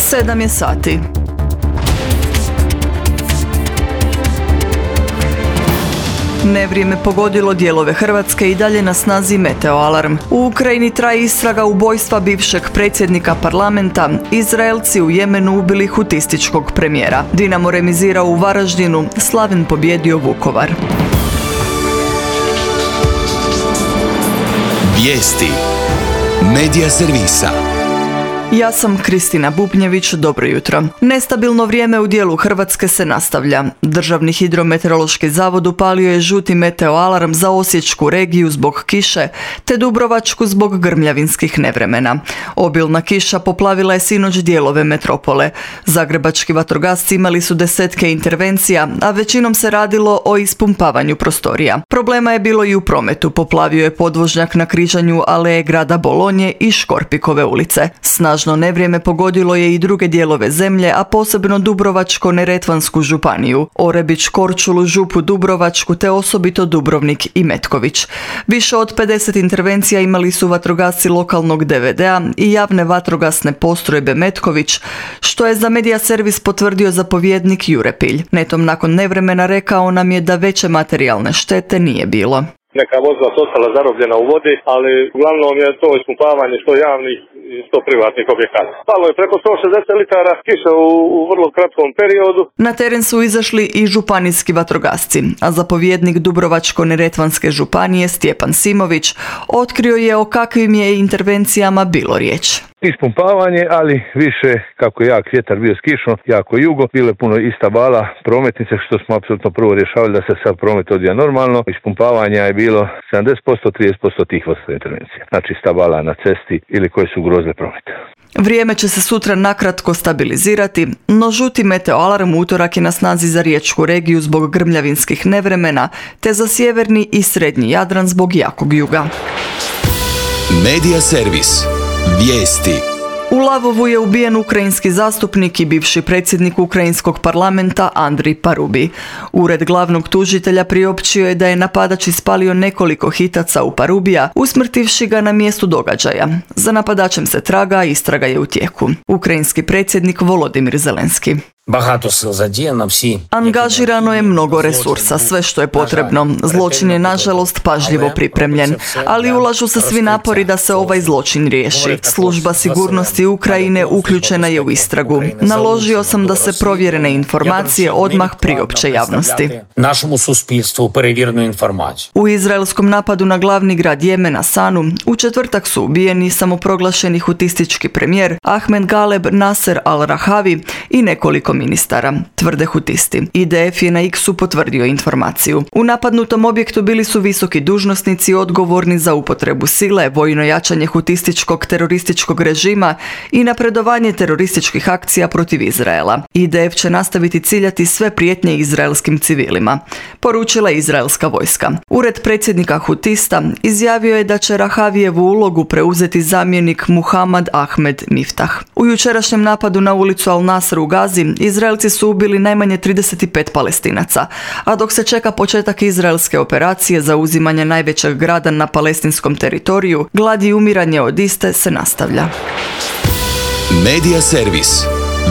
7 je sati. Nevrijeme pogodilo dijelove Hrvatske i dalje na snazi meteoalarm. U Ukrajini traje istraga ubojstva bivšeg predsjednika parlamenta. Izraelci u Jemenu ubili hutističkog premijera. Dinamo remizirao u Varaždinu, Slaven pobjedio Vukovar. Vijesti Medija servisa. Ja sam Kristina Bubnjević, dobro jutro. Nestabilno vrijeme u dijelu Hrvatske se nastavlja. Državni hidrometeorološki zavod upalio je žuti meteoalarm za Osječku regiju zbog kiše, te Dubrovačku zbog grmljavinskih nevremena. Obilna kiša poplavila je sinoć dijelove metropole. Zagrebački vatrogasci imali su desetke intervencija, a većinom se radilo o ispumpavanju prostorija. Problema je bilo i u prometu. Poplavio je podvožnjak na križanju aleje grada Bolonje i Škorpikove ulice. Snažno nevrijeme pogodilo je i druge dijelove zemlje, a posebno Dubrovačko-neretvansku županiju, Orebić, Korčulu, Župu Dubrovačku te osobito Dubrovnik i Metković. Više od 50 intervencija imali su vatrogasci lokalnog DVD-a i javne vatrogasne postrojbe Metković, što je za Medija servis potvrdio zapovjednik Jure Pilj. Netom nakon nevremena rekao nam je da veće materijalne štete nije bilo. Neka vozila su ostala zarobljena u vodi, ali uglavnom je to ispumpavanje što javnih i što privatnih objekata. Palo je preko 160 litara kiše u vrlo kratkom periodu. Na teren su izašli i županijski vatrogasci, a zapovjednik Dubrovačko-neretvanske županije Stjepan Simović otkrio je o kakvim je intervencijama bilo riječ. Ispumpavanje, ali više kako je jak vjetar bio s kišom, jako jugo, bilo je puno ista vala prometnice, što smo apsolutno prvo rješavali da se sad promet odvija normalno. Ispumpavanja je bilo 70%, 30% tih vrsta intervencija. Znači stabala na cesti ili koje su ugrozile promet. Vrijeme će se sutra nakratko stabilizirati, no žuti meteoalarm u utorak je na snazi za riječku regiju zbog grmljavinskih nevremena, te za sjeverni i srednji Jadran zbog jakog juga. Medija servis. Vijesti. U Lavovu je ubijen ukrajinski zastupnik i bivši predsjednik ukrajinskog parlamenta Andrij Parubi. Ured glavnog tužitelja priopćio je da je napadač ispalio nekoliko hitaca u Parubija, usmrtivši ga na mjestu događaja. Za napadačem se traga, istraga je u tijeku. Ukrajinski predsjednik Volodimir Zelenski. Angažirano je mnogo resursa, sve što je potrebno. Zločin je nažalost pažljivo pripremljen, ali ulažu se svi napori da se ovaj zločin riješi. Služba sigurnosti Ukrajine uključena je u istragu. Naložio sam da se provjerene informacije odmah priopće javnosti. U izraelskom napadu na glavni grad Jemena Sanu u četvrtak su ubijeni samoproglašeni hutistički premijer Ahmed Galeb Nasser al-Rahavi i nekoliko ministara, tvrde hutisti. IDF je na X-u potvrdio informaciju. U napadnutom objektu bili su visoki dužnosnici odgovorni za upotrebu sile, vojno jačanje hutističkog terorističkog režima i napredovanje terorističkih akcija protiv Izraela. IDF će nastaviti ciljati sve prijetnje izraelskim civilima, poručila je izraelska vojska. Ured predsjednika hutista izjavio je da će Rahavijevu ulogu preuzeti zamjenik Muhammad Ahmed Miftah. U jučerašnjem napadu na ulicu Al-Nasr u Gazi Izraelci su ubili najmanje 35 Palestinaca, a dok se čeka početak izraelske operacije za uzimanje najvećeg grada na palestinskom teritoriju, glad i umiranje od iste se nastavlja. Medija servis.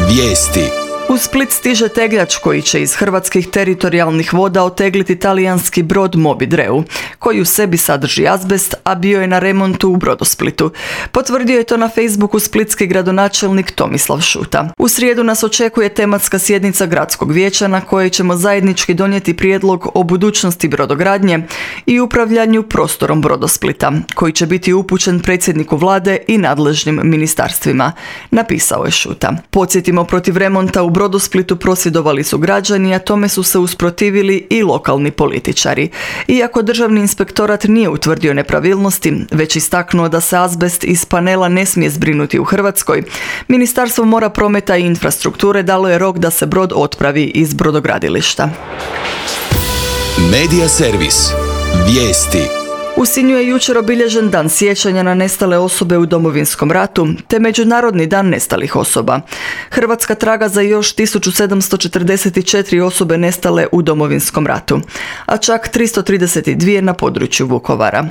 Vijesti. U Split stiže tegljač koji će iz hrvatskih teritorijalnih voda otegliti talijanski brod Moby Dreu, koji u sebi sadrži azbest, a bio je na remontu u Brodosplitu. Potvrdio je to na Facebooku splitski gradonačelnik Tomislav Šuta. U srijedu nas očekuje tematska sjednica gradskog vijeća na kojoj ćemo zajednički donijeti prijedlog o budućnosti brodogradnje i upravljanju prostorom Brodosplita, koji će biti upućen predsjedniku vlade i nadležnim ministarstvima, napisao je Šuta. Podsjetimo, protiv remonta u Brodosplitu prosvjedovali su građani, a tome su se usprotivili i lokalni političari. Iako državni inspektorat nije utvrdio nepravilnosti, već istaknuo da se azbest iz panela ne smije zbrinuti u Hrvatskoj, Ministarstvo mora, prometa i infrastrukture dalo je rok da se brod otpravi iz brodogradilišta. Medija servis. Vijesti. U Sinju je jučer obilježen dan sjećanja na nestale osobe u Domovinskom ratu, te Međunarodni dan nestalih osoba. Hrvatska traga za još 1744 osobe nestale u Domovinskom ratu, a čak 332 na području Vukovara.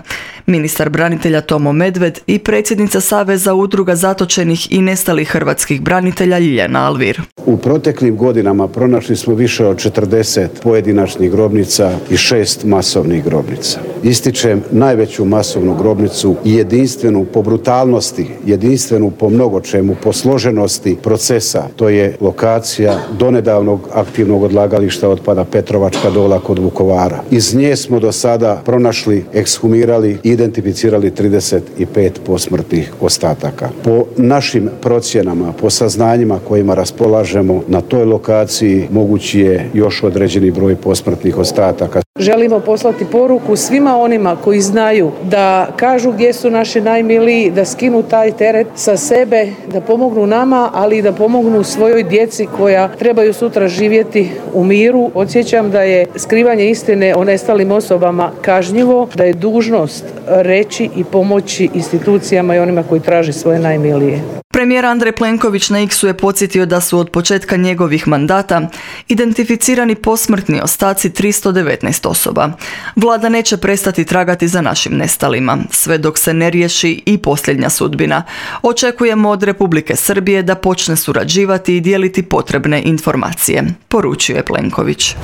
Ministar branitelja Tomo Medved i predsjednica Saveza udruga zatočenih i nestalih hrvatskih branitelja Ljiljana Alvir. U proteklim godinama pronašli smo više od 40 pojedinačnih grobnica i 6 masovnih grobnica. Ističem najveću masovnu grobnicu i jedinstvenu po brutalnosti, jedinstvenu po mnogo čemu, po složenosti procesa. To je lokacija donedavnog aktivnog odlagališta otpada Petrovačka dola kod Vukovara. Iz nje smo do sada pronašli, ekshumirali i identificirali 35 posmrtnih ostataka. Po našim procjenama, po saznanjima kojima raspolažemo na toj lokaciji mogući je još određeni broj posmrtnih ostataka. Želimo poslati poruku svima onima koji znaju da kažu gdje su naši najmiliji, da skinu taj teret sa sebe, da pomognu nama, ali i da pomognu svojoj djeci koja trebaju sutra živjeti u miru. Podsjećam da je skrivanje istine o nestalim osobama kažnjivo, da je dužnost reći i pomoći institucijama i onima koji traže svoje najmilije. Premijer Andrej Plenković na X-u je podsjetio da su od početka njegovih mandata identificirani posmrtni ostaci 319 osoba. Vlada neće prestati tragati za našim nestalima, sve dok se ne riješi i posljednja sudbina. Očekujemo od Republike Srbije da počne surađivati i dijeliti potrebne informacije, poručuje Plenković.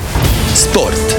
Sport.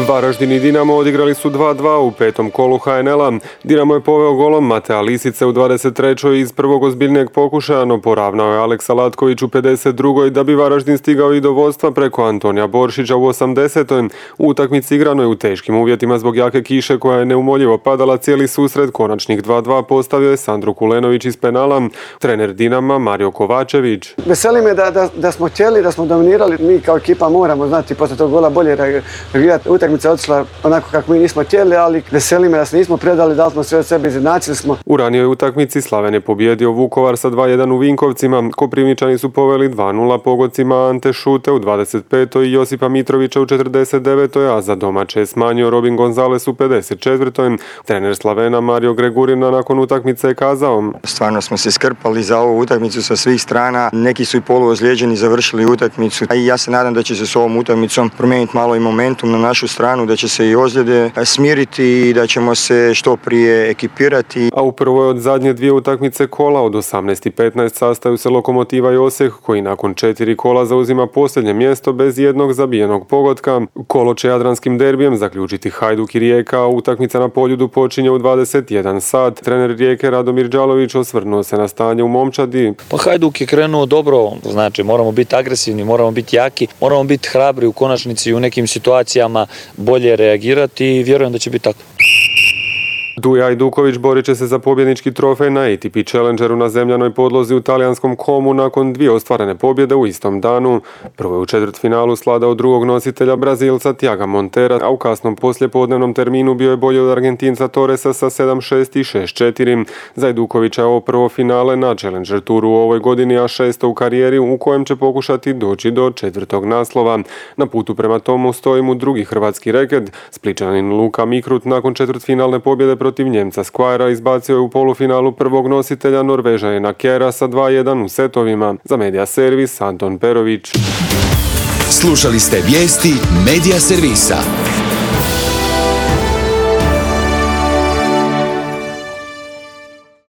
Varaždin i Dinamo odigrali su 2:2 u petom kolu HNL-a. Dinamo je poveo golom Matea Lisice u 23. iz prvog ozbiljnijeg pokušaja, no poravnao je Aleksa Latković u 52. da bi Varaždin stigao i do vodstva preko Antonija Boršića u 80. U utakmici igrano je u teškim uvjetima zbog jake kiše koja je neumoljivo padala cijeli susret. Konačnih 2:2 postavio je Sandro Kulenović iz penala. Trener Dinama Mario Kovačević. Veseli me da smo htjeli, da smo dominirali. Mi kao ekipa moramo znati poslije tog gola bolje reagirati. Utakmica je otišla onako kako mi nismo htjeli, ali veseli me da se nismo predali, dali smo sve od sebe, izjednačili smo. U ranijoj utakmici Slaven je pobijedio Vukovar sa 2:1 u Vinkovcima. Koprivničani su poveli 2:0 pogodcima Ante Šute u 25. i Josipa Mitrovića u 49. a za domaće je smanjio Robin Gonzales u 54. Trener Slavena Mario Gregurina nakon utakmice je kazao: Stvarno smo se skrpali za ovu utakmicu sa svih strana. Neki su i poluozlijeđeni završili utakmicu. I ja se nadam da će se s ovom utakmicom promijeniti malo i momentum na našu stranu, da će se i ozljede smiriti i da ćemo se što prije ekipirati. A u prvoj od zadnje dvije utakmice kola od 18:15 sastaju se Lokomotiva i Osijek, koji nakon 4 kola zauzima posljednje mjesto bez jednog zabijenog pogotka. Kolo će jadranskim derbijem zaključiti Hajduk i Rijeka, a utakmica na Poljudu počinje u 21 sat. Trener Rijeke Radomir Đalović osvrnuo se na stanje u momčadi. Pa Hajduk je krenuo dobro, znači moramo biti agresivni, moramo biti jaki, moramo biti hrabri u konačnici u nekim situacijama, bolje reagirati i vjerujem da će biti tako. Duja Ajduković borit će se za pobjednički trofej na ATP Challengeru na zemljanoj podlozi u talijanskom Komu nakon 2 ostvarene pobjede u istom danu. Prvo je u četvrtfinalu svladao drugog nositelja Brazilca Thiaga Montera, a u kasnom poslijepodnevnom terminu bio je bolji od Argentinca Torresa sa 7:6 i 6:4. Za Ajdukovića je ovo prvo finale na Challenger Touru u ovoj godini, a 6. u karijeri u kojem će pokušati doći do 4. naslova. Na putu prema tomu stoji mu drugi hrvatski reket. Splićanin Luka Mikrut nakon četvrtfinalne pobjede protiv Njemca Squire izbacio je u polufinalu prvog nositelja Norvežanina Kjera sa 2:1 u setovima. Za Media Servis Anton Perović. Slušali ste vijesti Media Servisa.